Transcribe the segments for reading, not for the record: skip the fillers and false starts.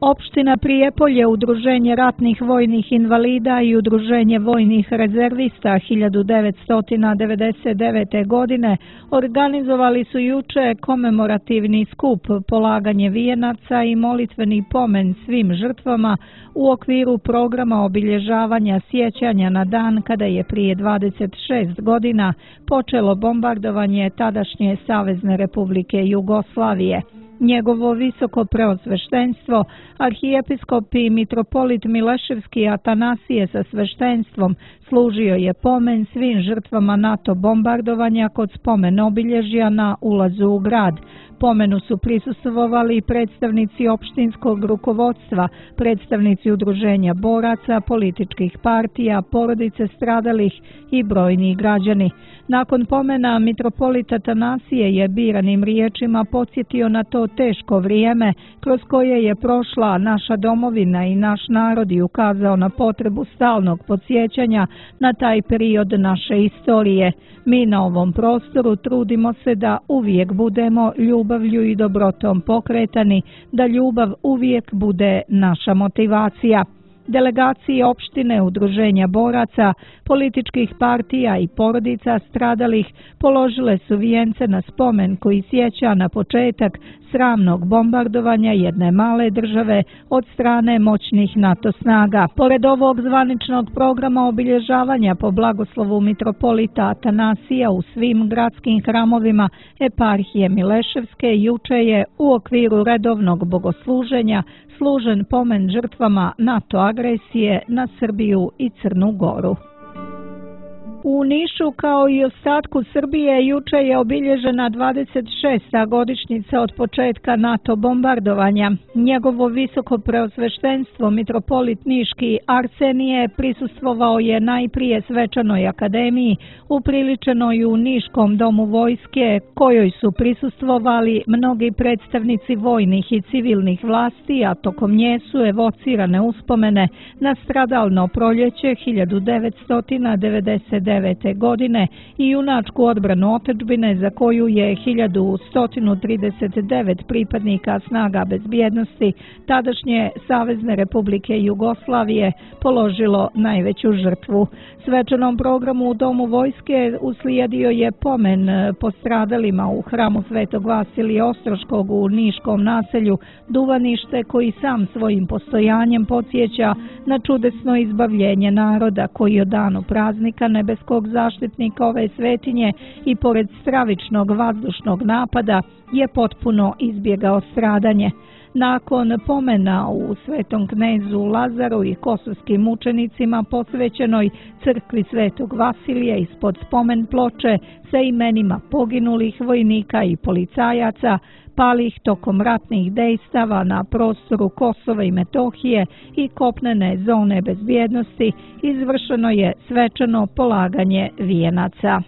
Opština Prijepolje, Udruženje ratnih vojnih invalida i Udruženje vojnih rezervista 1999. godine organizovali su juče komemorativni skup, polaganje vijenaca i molitveni pomen svim žrtvama u okviru programa obilježavanja sjećanja na dan kada je prije 26 godina počelo bombardovanje tadašnje Savezne Republike Jugoslavije. Njegovo visoko preosveštenstvo, arhijepiskop i mitropolit Mileševski Atanasije sa sveštenstvom služio je pomen svim žrtvama NATO bombardovanja kod spomen obilježja na ulazu u grad. Pomenu su prisustvovali predstavnici opštinskog rukovodstva, predstavnici udruženja boraca, političkih partija, porodice stradalih i brojni građani. Nakon pomena mitropolit Atanasije je biranim riječima podsjetio na to teško vrijeme kroz koje je prošla naša domovina i naš narod i ukazao na potrebu stalnog podsjećanja na taj period naše istorije. Mi na ovom prostoru trudimo se da uvijek budemo ljubavlju i dobrotom pokretani, da ljubav uvijek bude naša motivacija. Delegaciji opštine, udruženja boraca, političkih partija i porodica stradalih položile su vijence na spomen koji sjeća na početak sramnog bombardovanja jedne male države od strane moćnih NATO snaga. Pored ovog zvaničnog programa obilježavanja po blagoslovu mitropolita Atanasija u svim gradskim hramovima eparhije Mileševske, juče je u okviru redovnog bogosluženja služen pomen žrtvama NATO agresije na Srbiju i Crnu Goru. U Nišu, kao i ostatku Srbije, juče je obilježena 26. godišnjica od početka NATO bombardovanja. Njegovo visoko preosveštenstvo, mitropolit Niški Arsenije, prisustvovao je najprije svečanoj akademiji, upriličenoj u Niškom domu vojske, kojoj su prisustvovali mnogi predstavnici vojnih i civilnih vlasti, a tokom nje su evocirane uspomene na stradalno proljeće 1999. godine i junačku odbranu otadžbine za koju je 1139 pripadnika snaga bezbjednosti tadašnje Savezne Republike Jugoslavije položilo najveću žrtvu. Svečanom programu u Domu vojske uslijedio je pomen postradalima u hramu Svetog Vasilija Ostroškog u Niškom naselju Duvanište, koji sam svojim postojanjem podsjeća na čudesno izbavljenje naroda koji od danu praznika nebeskog zaštitnika ove svetinje i pored stravičnog vazdušnog napada je potpuno izbjegao stradanje. Nakon pomena u Svetom knezu Lazaru i kosovskim mučenicima posvećenoj crkvi Svetog Vasilija ispod spomen ploče sa imenima poginulih vojnika i policajaca palih tokom ratnih dejstava na prostoru Kosova i Metohije i kopnene zone bezbjednosti izvršeno je svečano polaganje vijenaca.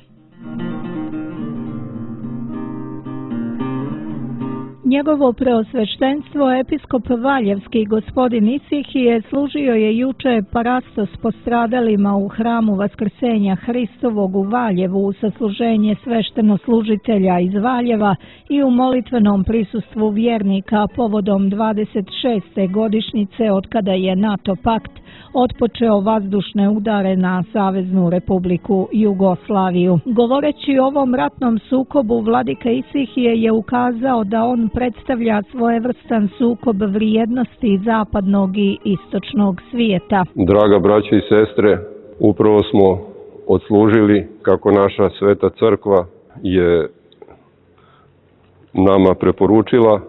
Njegovo preosveštenstvo, episkop Valjevski gospodin Isihije, služio je juče parastos postradalima u hramu Vaskrsenja Hristovog u Valjevu u sasluženje sveštenoslужitelja iz Valjeva i u molitvenom prisustvu vjernika povodom 26. godišnjice od kada je NATO pakt otpočeo vazdušne udare na Saveznu Republiku Jugoslaviju. Govoreći o ovom ratnom sukobu, vladika Isihije je ukazao da on predstavlja svojevrstan sukob vrijednosti zapadnog i istočnog svijeta. Draga braćo i sestre, upravo smo odslužili, kako naša sveta crkva je nama preporučila,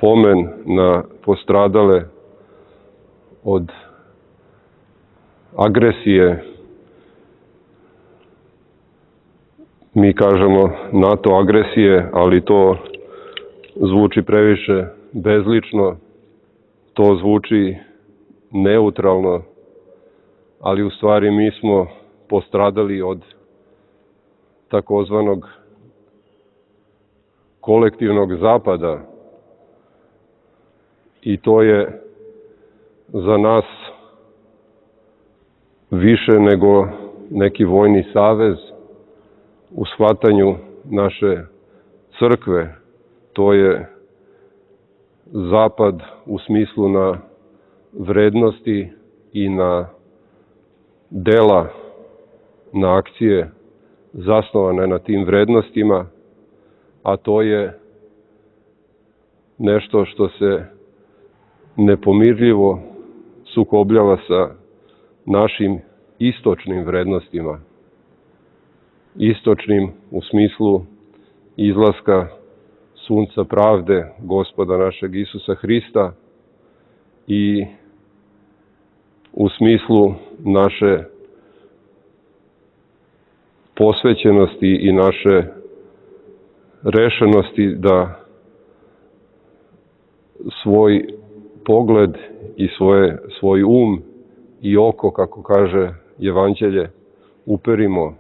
pomen na postradale od agresije, mi kažemo NATO agresije, ali to zvuči previše bezlično, to zvuči neutralno, ali u stvari mi smo postradali od takozvanog kolektivnog zapada i to je za nas više nego neki vojni savez u shvatanju naše crkve. To je zapad u smislu na vrednosti i na dela, na akcije zasnovane na tim vrednostima, a to je nešto što se nepomirljivo sukobljava sa našim istočnim vrednostima. Istočnim u smislu izlaska sunca pravde, Gospoda našeg Isusa Hrista, i u smislu naše posvećenosti i naše rešenosti da svoj pogled i svoj um i oko, kako kaže Evanđelje, uperimo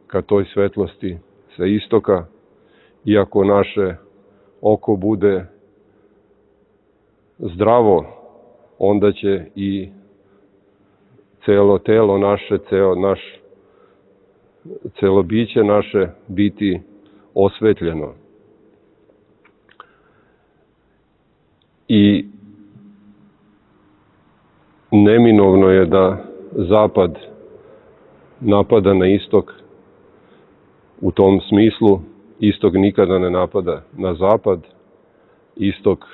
ka toj svetlosti sa istoka. Iako naše oko bude zdravo, onda će i celo telo naše, celo biće naše biti osvetljeno. I neminovno je da zapad napada na istok. U tom smislu istok nikada ne napada na zapad. Istok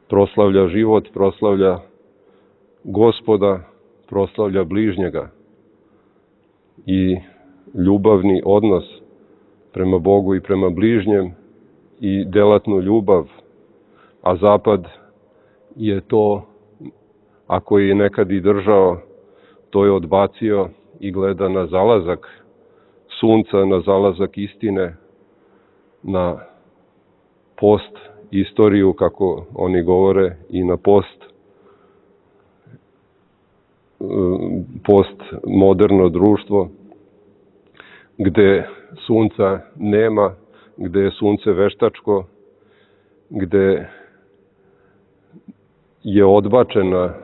proslavlja život, proslavlja Gospoda, proslavlja bližnjega. I ljubavni odnos prema Bogu i prema bližnjem i delatnu ljubav. A zapad je to, ako je nekad i držao, to je odbacio i gleda na zalazak sunca, na zalazak istine, na post istoriju, kako oni govore, i na postmoderno društvo, gde sunca nema, gde je sunce veštačko, gde je odbačena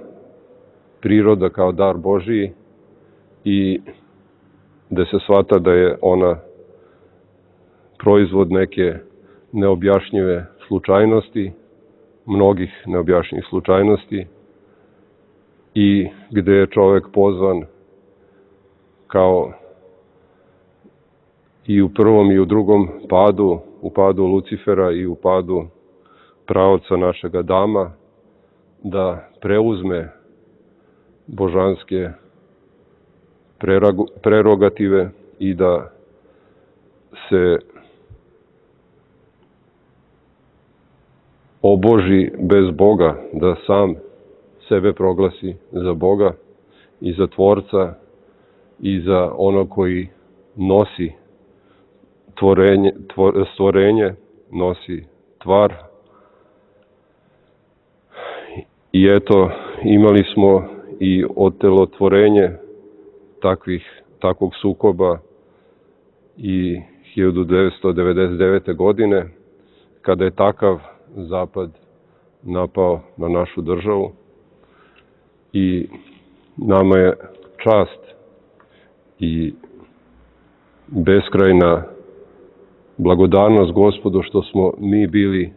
priroda kao dar Božiji i gde se shvata da je ona proizvod neke neobjašnjive slučajnosti, mnogih neobjašnjivih slučajnosti, i gde je čovek pozvan, kao i u prvom i u drugom padu, u padu Lucifera i u padu praoca našeg Adama, da preuzme božanske prerogative i da se oboži bez Boga, da sam sebe proglasi za Boga i za Tvorca i za ono koji nosi stvorenje, nosi tvar. I eto, imali smo i otelotvorenje takvog sukoba i 1999. godine, kada je takav zapad napao na našu državu. I nama je čast i beskrajna blagodarnost Gospodu što smo mi bili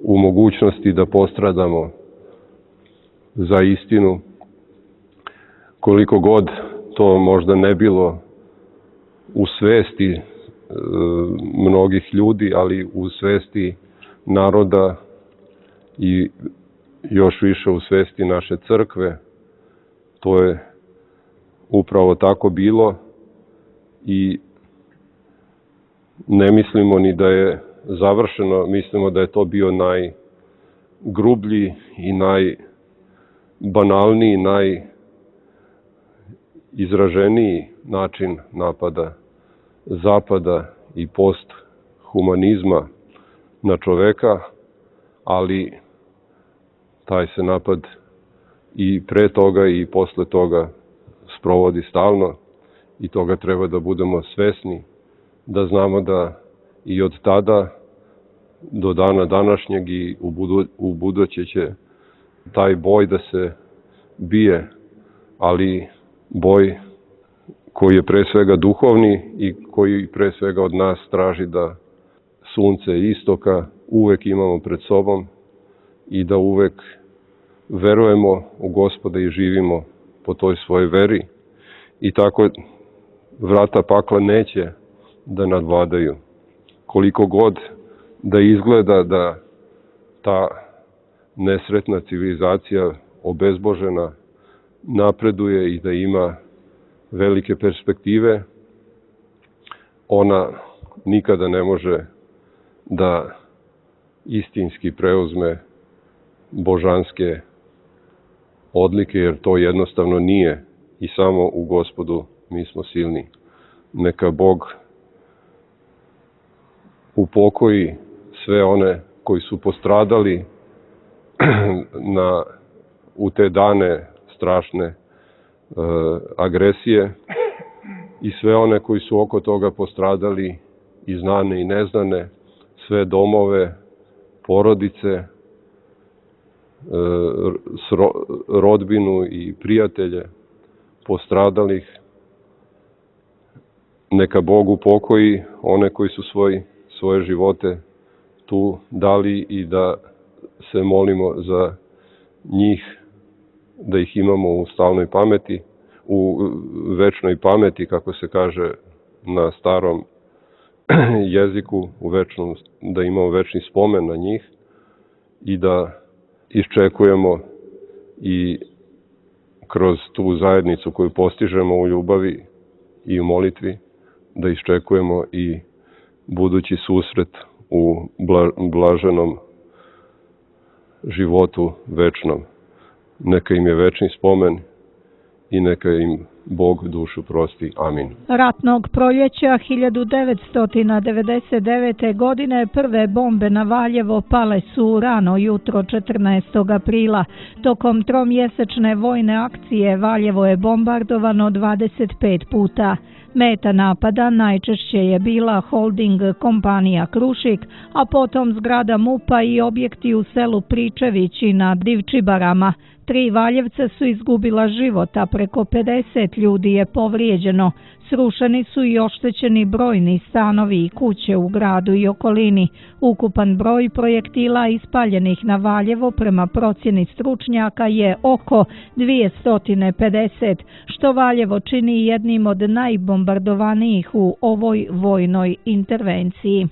u mogućnosti da postradamo za istinu, koliko god to možda ne bilo u svesti mnogih ljudi, ali u svesti naroda i još više u svesti naše crkve. To je upravo tako bilo i ne mislimo ni da je završeno, mislimo da je to bio najgrublji i najbanalniji, najizraženiji način napada zapada i posthumanizma na čoveka, ali taj se napad i pre toga i posle toga sprovodi stalno i toga treba da budemo svesni, da znamo da i od tada do dana današnjeg i u buduće će taj boj da se bije, ali boj koji je pre svega duhovni i koji pre svega od nas traži da sunce istoka uvek imamo pred sobom i da uvek verujemo u Gospoda i živimo po toj svojoj veri i tako vrata pakla neće da nadvladaju. Koliko god da izgleda da ta nesretna civilizacija obezbožena napreduje i da ima velike perspektive, ona nikada ne može da istinski preuzme božanske odlike, jer to jednostavno nije i samo u Gospodu mi smo silni. Neka Bog upokoji sve one koji su postradali u te dane strašne agresije i sve one koji su oko toga postradali i znane i neznane, sve domove, porodice, rodbinu i prijatelje postradalih. Neka Bog upokoji one koji su svoje živote tu dali i da se molimo za njih, da ih imamo u stalnoj pameti, u večnoj pameti, kako se kaže na starom jeziku, da imamo večni spomen na njih i da iščekujemo i kroz tu zajednicu koju postižemo u ljubavi i u molitvi, da iščekujemo i budući susret u blaženom životu večnom. Neka im je večni spomen i neka im Bog dušu prosti. Amin. Ratnog proljeća 1999. godine prve bombe na Valjevo pale su rano jutro 14. aprila. Tokom tromjesečne vojne akcije Valjevo je bombardovano 25 puta. Meta napada najčešće je bila holding kompanija Krušik, a potom zgrada MUP-a i objekti u selu Pričevići na Divčibarama. 3 Valjevca su izgubila život, a preko 50 ljudi je povrijeđeno. Srušeni su i oštećeni brojni stanovi i kuće u gradu i okolini. Ukupan broj projektila ispaljenih na Valjevo prema procjeni stručnjaka je oko 250, što Valjevo čini jednim od najbombardovanijih u ovoj vojnoj intervenciji.